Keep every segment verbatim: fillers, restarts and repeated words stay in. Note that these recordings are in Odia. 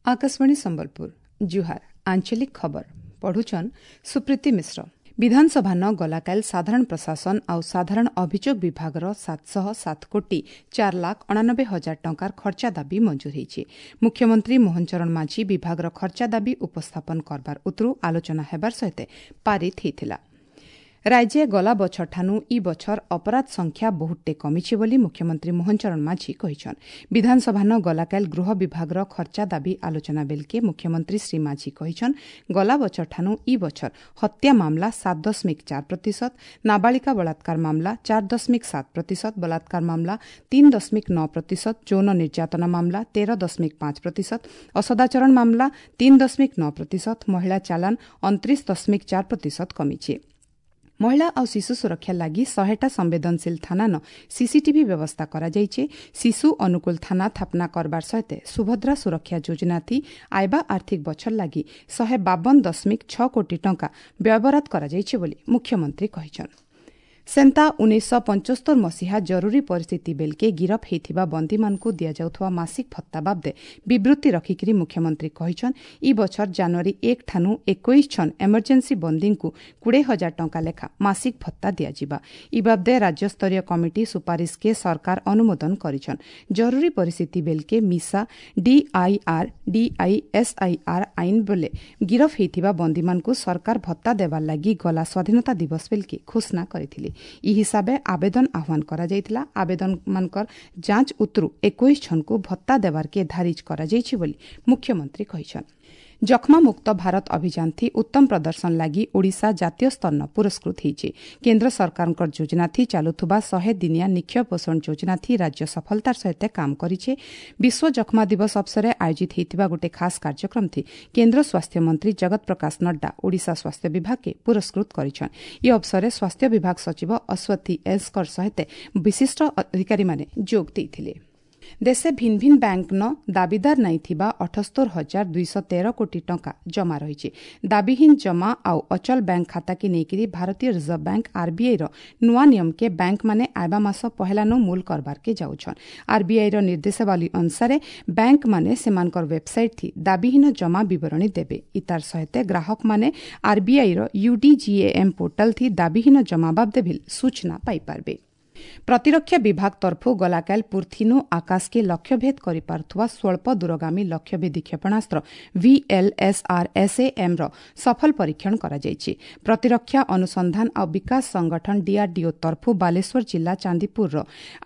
ଆକାଶବାଣୀ ସମ୍ବଲପୁର ଜୁହାର ଆଞ୍ଚଳିକ ଖବର ପଢୁଛନ୍ ସୁପ୍ରୀତି ମିଶ୍ର ବିଧାନସଭା ନ ଗଲାକାଲ ସାଧାରଣ ପ୍ରଶାସନ ଆଉ ସାଧାରଣ ଅଭିଯୋଗ ବିଭାଗର ସାତଶହ ସାତ କୋଟି ଚାର ଲାଖ ଅଣାନବେ ହଜାର ଟଙ୍କାର ଖର୍ଚ୍ଚା ଦାବି ମଞ୍ଜୁର ହୋଇଛି ମୁଖ୍ୟମନ୍ତ୍ରୀ ମୋହନ ଚରଣ ମାଝୀ ବିଭାଗର ଖର୍ଚ୍ଚା ଦାବି ଉପସ୍ଥାପନ କରବାର ଉତରୁ ଆଲୋଚନା ହେବାର ସହିତ ପାରିତ ହୋଇଥିଲା ରାଜ୍ୟ ଗଲା ବଛରଠାନୁ ଇ ବଛର ଅପରାଧ ସଂଖ୍ୟା ବହୁତଟେ କମିଛି ବୋଲି ମୁଖ୍ୟମନ୍ତ୍ରୀ ମୋହନ ଚରଣ ମାଝୀ କହିଛନ୍ ବିଧାନସଭାନ ଗଲାକାଲ ଗୃହ ବିଭାଗର ଖର୍ଚ୍ଚା ଦାବି ଆଲୋଚନା ବେଲକେ ମୁଖ୍ୟମନ୍ତ୍ରୀ ଶ୍ରୀ ମାଝୀ କହିଛନ୍ ଗଲା ବଛରଠାନୁ ଇ ବଛର ହତ୍ୟା ମାମଲା ସାତ ଦଶମିକ ଚାର ପ୍ରତିଶତ ନାବାଳିକା ବଳାତ୍କାର ମାମଲା ଚାର ଦଶମିକ ସାତ ପ୍ରତିଶତ ବଳାତ୍କାର ମାମଲା ତିନି ଦଶମିକ ନଅ ପ୍ରତିଶତ ଯୌନ ନିର୍ଯାତନା ମାମଲା ତେର ଦଶମିକ ପାଞ୍ଚ ପ୍ରତିଶତ ଅସଦାଚରଣ ମାମଲା ତିନି ଦଶମିକ ନଅ ପ୍ରତିଶତ ମହିଳା ଚାଲାଣ ଅଣତିରିଶ ଦଶମିକ ଚାର ପ୍ରତିଶତ କମିଛି ମହିଳା ଆଉ ଶିଶୁ ସୁରକ୍ଷା ଲାଗି ଶହେଟା ସମ୍ବେଦନଶୀଳ ଥାନାନ ସିସିଟିଭି ବ୍ୟବସ୍ଥା କରାଯାଇଛି ଶିଶୁ ଅନୁକୂଳ ଥାନା ସ୍ଥାପନା କରବାର ସହିତ ସୁଭଦ୍ରା ସୁରକ୍ଷା ଯୋଜନା ଥି ଆଇବା ଆର୍ଥିକ ବଛର ଲାଗି ଶହେ ବାବନ ଦଶମିକ ଛଅ କୋଟି ଟଙ୍କା ବ୍ୟୟବରାଦ କରାଯାଇଛି ବୋଲି ମୁଖ୍ୟମନ୍ତ୍ରୀ କହିଛନ୍ ସେନ୍ତା ଉଣେଇଶହ ପଞ୍ଚସ୍ତର ମସିହା ଜରୁରୀ ପରିସ୍ଥିତି ବେଲକେ ଗିରଫ ହୋଇଥିବା ବନ୍ଦୀମାନଙ୍କୁ ଦିଆଯାଉଥିବା ମାସିକ ଭତ୍ତା ବାବଦେ ବିବୃତ୍ତି ରଖିକିରି ମୁଖ୍ୟମନ୍ତ୍ରୀ କହିଛନ୍ ଇ ବଛର ଜାନୁଆରୀ ଏକ ଠାନୁ ଏକୋଇଶ ଛନ୍ ଏମର୍ଜେନ୍ସି ବନ୍ଦୀଙ୍କୁ କୋଡ଼ିଏ ହଜାର ଟଙ୍କା ଲେଖା ମାସିକ ଭତ୍ତା ଦିଆଯିବା ଇ ବାବଦେ ରାଜ୍ୟସ୍ତରୀୟ କମିଟି ସୁପାରିଶକେ ସରକାର ଅନୁମୋଦନ କରିଛନ୍ ଜରୁରୀ ପରିସ୍ଥିତି ବେଲକେ ମିସା ଡିଆଇଆର୍ ଡିଆଇଏସ୍ଆଇଆର୍ ଆଇନ ବେଲେ ଗିରଫ ହୋଇଥିବା ବନ୍ଦୀମାନଙ୍କୁ ସରକାର ଭତ୍ତା ଦେବାର ଲାଗି ଗଲା ସ୍ୱାଧୀନତା ଦିବସ ବେଲକେ ଘୋଷଣା କରିଥିଲେ ଇ ହିସାବେ ଆବେଦନ ଆହ୍ୱାନ କରାଯାଇଥିଲା ଆବେଦନମାନଙ୍କର ଯାଞ୍ଚ ଉତରୁ ଏକୋଇଶ ଜଣଙ୍କୁ ଭତ୍ତା ଦେବାର୍କେ ଧାରିଜ କରାଯାଇଛି ବୋଲି ମୁଖ୍ୟମନ୍ତ୍ରୀ କହିଛନ୍ ଯକ୍ଷ୍ମାମୁକ୍ତ ଭାରତ ଅଭିଯାନ ଥି ଉତ୍ତମ ପ୍ରଦର୍ଶନ ଲାଗି ଓଡ଼ିଶା ଜାତୀୟ ସ୍ତରନ ପୁରସ୍କୃତ ହୋଇଛି କେନ୍ଦ୍ର ସରକାରଙ୍କ ଯୋଜନା ଥି ଚାଲୁଥିବା ଶହେ ଦିନିଆ ନିକ୍ଷୟ ପୋଷଣ ଯୋଜନା ଥି ରାଜ୍ୟ ସଫଳତାର ସହିତ କାମ କରିছে ବିଶ୍ୱ ଯକ୍ଷ୍ମା ଦିବସ ଅବସରରେ ଆୟୋଜିତ ହୋଇଥିବା ଗୋଟିଏ ଖାସ୍ କାର୍ଯ୍ୟକ୍ରମ ଥି କେନ୍ଦ୍ର ସ୍ୱାସ୍ଥ୍ୟମନ୍ତ୍ରୀ ଜଗତ ପ୍ରକାଶ ନଡ୍ଡା ଓଡ଼ିଶା ସ୍ୱାସ୍ଥ୍ୟ ବିଭାଗକେ ପୁରସ୍କୃତ କରିଛନ୍ ଏହି ଅବସରରେ ସ୍ୱାସ୍ଥ୍ୟ ବିଭାଗ ସଚିବ ଅଶ୍ୱଥୀ ଏସ୍କର ସହିତ ବିଶିଷ୍ଟ ଅଧିକାରୀମାନେ ଯୋଗ ଦେଇଥିଲେ ଦେଶେ ଭିନ୍ ଭିନ୍ ବ୍ୟାଙ୍କନ ଦାବିଦାର ନାଇଥିବା ଅଠସ୍ତର ହଜାର ଦୁଇଶହ ତେର କୋଟି ଟଙ୍କା ଜମା ରହିଛି ଦାବିହୀନ ଜମା ଆଉ ଅଚଳ ବ୍ୟାଙ୍କ ଖାତାକେ ନେଇକରି ଭାରତୀୟ ରିଜର୍ଭ ବ୍ୟାଙ୍କ ଆର୍ବିଆଇର ନୂଆ ନିୟମକେ ବ୍ୟାଙ୍କମାନେ ଆଇବା ମାସ ପହେଲାନୁ ମୂଲ କରବାର୍କେ ଯାଉଛନ୍ ଆର୍ବିଆଇର ନିର୍ଦ୍ଦେଶାବଳୀ ଅନୁସାରେ ବ୍ୟାଙ୍କମାନେ ସେମାନଙ୍କର ୱେବ୍ସାଇଟ୍ ଥି ଦାବିହୀନ ଜମା ବିବରଣୀ ଦେବେ ଇତାର ସହିତ ଗ୍ରାହକମାନେ ଆର୍ବିଆଇର ୟୁଡିଜିଏଏମ୍ ପୋର୍ଟାଲ ଥି ଦାବିହୀନ ଜମା ବାବଦେ ଭିଲ୍ ସୂଚନା ପାଇପାରବେ ପ୍ରତିରକ୍ଷା ବିଭାଗ ତରଫୁ ଗଲାକାଲ ପୁର୍ଥିନୁ ଆକାଶକେ ଲକ୍ଷ୍ୟଭେଦ କରିପାରୁଥିବା ସ୍ୱଳ୍ପ ଦୂରଗାମୀ ଲକ୍ଷ୍ୟଭେଦୀ କ୍ଷେପଣାସ୍ତ୍ର ଭିଏଲ୍ଏସ୍ଆର୍ଏସ୍ଏଏମ୍ ର ସଫଳ ପରୀକ୍ଷଣ କରାଯାଇଛି ପ୍ରତିରକ୍ଷା ଅନୁସନ୍ଧାନ ଆଉ ବିକାଶ ସଂଗଠନ ଡିଆର୍ଡିଓ ତରଫୁ ବାଲେଶ୍ୱର ଜିଲ୍ଲା ଚାନ୍ଦିପୁରର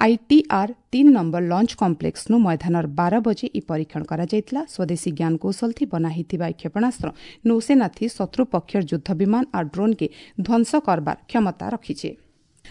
ଆଇଟିଆର୍ ତିନି ନମ୍ବର ଲଞ୍ଚ କମ୍ପ୍ଲେକ୍ସନୁ ମୈଦାନର ବାର ବଜେ ଇ ପରୀକ୍ଷଣ କରାଯାଇଥିଲା ସ୍ୱଦେଶୀ ଜ୍ଞାନକୌଶଳଥି ବନା ହୋଇଥିବା ଏହି କ୍ଷେପଣାସ୍ତ୍ର ନୌସେନାଥି ଶତ୍ରୁ ପକ୍ଷର ଯୁଦ୍ଧ ବିମାନ ଆଉ ଡ୍ରୋନ୍କେ ଧ୍ୱଂସ କରବାର କ୍ଷମତା ରଖିଛି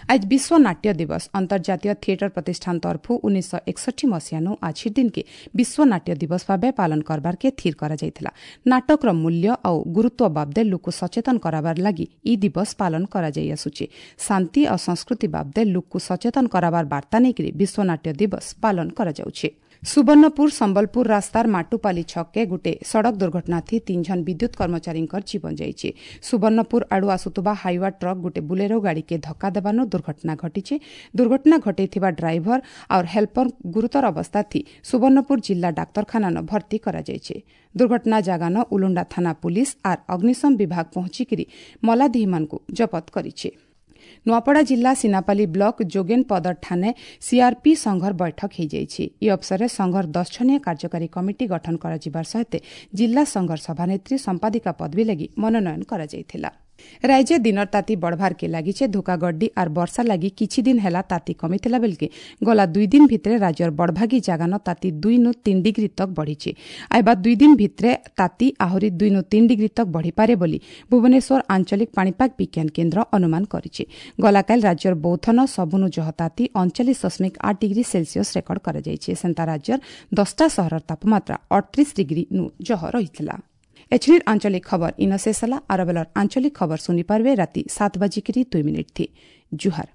ଆଜ ବିଶ୍ୱ ନାଟ୍ୟ ଦିବସ ଅନ୍ତର୍ଜାତୀୟ ଥିଏଟର ପ୍ରତିଷ୍ଠାନ ତରଫୁ ଉଣେଇଶହ ଏକଷଠି ମସିହାନୁ ଆଜିର ଦିନକେ ବିଶ୍ୱ ନାଟ୍ୟ ଦିବସ ଭାବେ ପାଳନ କରବାର୍କେ ସ୍ଥିର କରାଯାଇଥିଲା ନାଟକର ମୂଲ୍ୟ ଆଉ ଗୁରୁତ୍ୱ ବାବଦେ ଲୋକ ସଚେତନ କରାବାର ଲାଗି ଇ ଦିବସ ପାଳନ କରାଯାଇ ଆସୁଛି ଶାନ୍ତି ଆଉ ସଂସ୍କୃତି ବାବଦେ ଲୋକକୁ ସଚେତନ କରାବାର ବାର୍ତ୍ତା ନେଇକରି ବିଶ୍ୱ ନାଟ୍ୟ ଦିବସ ପାଳନ କରାଯାଉଛି ସୁବର୍ଣ୍ଣପୁର ସମ୍ବଲପୁର ରାସ୍ତାର ମାଟୁପାଲି ଛକକେ ଗୋଟେ ସଡ଼କ ଦୁର୍ଘଟଣା ଥି ତିନି ଜଣ ବିଦ୍ୟୁତ କର୍ମଚାରୀଙ୍କର ଜୀବନ ଯାଇଛି ସୁବର୍ଣ୍ଣପୁର ଆଡୁ ଆସୁଥିବା ହାଇୱା ଟ୍ରକ୍ ଗୋଟେ ବୁଲେରୋ ଗାଡ଼ିକେ ଧକ୍କା ଦେବାନୁ ଦୁର୍ଘଟଣା ଘଟିଛି ଦୁର୍ଘଟଣା ଘଟେଇଥିବା ଡ୍ରାଇଭର ଆଉ ହେଲ୍ପର ଗୁରୁତର ଅବସ୍ଥା ଥି ସୁବର୍ଣ୍ଣପୁର ଜିଲ୍ଲା ଡାକ୍ତରଖାନାନ ଭର୍ତ୍ତି କରାଯାଇଛି ଦୁର୍ଘଟଣା ଜାଗାନ ଉଲୁଣ୍ଡା ଥାନା ପୁଲିସ ଆର୍ ଅଗ୍ନିଶମ ବିଭାଗ ପହଞ୍ଚିକିରି ମଲାଦେହୀମାନଙ୍କୁ ଜବତ କରିଛି ନୂଆପଡ଼ା ଜିଲ୍ଲା ସିନାପାଲି ବ୍ଲକ ଯୋଗେନପଦର ଠାନେ ସିଆର୍ପି ସଂଘର ବୈଠକ ହୋଇଯାଇଛି ଏହି ଅବସରରେ ସଂଘର ଦଶ ଜଣିଆ କାର୍ଯ୍ୟକାରୀ କମିଟି ଗଠନ କରାଯିବାର ସହିତ ଜିଲ୍ଲା ସଂଘର ସଭାନେତ୍ରୀ ସମ୍ପାଦିକା ପଦବୀ ଲାଗି ମନୋନୟନ କରାଯାଇଥିଲା ରାଜ୍ୟ ଦିନର ତାତି ବଢ଼ବାର୍କେ ଲାଗିছে ଧୋକାଗड्डी ଆର୍ ବର୍ଷା ଲାଗି କିଛି ଦିନ ହେଲା ତାତି କମିଥିଲା ବେଲକେ ଗଲା ଦୁଇ ଦିନ ଭିତରେ ରାଜ୍ୟର ବଡ଼ଭାଗୀ ଜାଗାନ ତାତି ଦୁଇ ନୁ ତିନି ଡିଗ୍ରୀ ତକ୍ ବଢ଼ିଛି ଆଇବା ଦୁଇ ଦିନ ଭିତରେ ତାତି ଆହୁରି ଦୁଇ ନୁ ତିନି ଡିଗ୍ରୀ ତକ୍ ବଢ଼ିପାରେ ବୋଲି ଭୁବନେଶ୍ୱର ଆଞ୍ଚଳିକ ପାଣିପାଗ ବିଜ୍ଞାନ କେନ୍ଦ୍ର ଅନୁମାନ କରିଛି ଗଲାକାଲି ରାଜ୍ୟର ବୌଦ୍ଧନ ସବୁନୁ ଜହ ତାତି ଅଣଚାଳିଶ ଦଶମିକ ଆଠ ଡିଗ୍ରୀ ସେଲସିୟସ୍ ରେକର୍ଡ କରାଯାଇଛି ସେନ୍ତା ରାଜ୍ୟର ଦଶଟା ସହରର ତାପମାତ୍ରା ଅଠତିରିଶ ଡିଗ୍ରୀ ନୁ ଜହ ରହିଥିଲା ଏଛିନିର ଆଞ୍ଚଳିକ ଖବର ଇନ ଶେଷ ହେଲା ଆରବେଲର ଆଞ୍ଚଳିକ ଖବର ଶୁଣିପାରିବେ ରାତି ସାତ ବାଜିକିରି ଦୁଇ ମିନିଟ୍ ଥି ଜୁହାର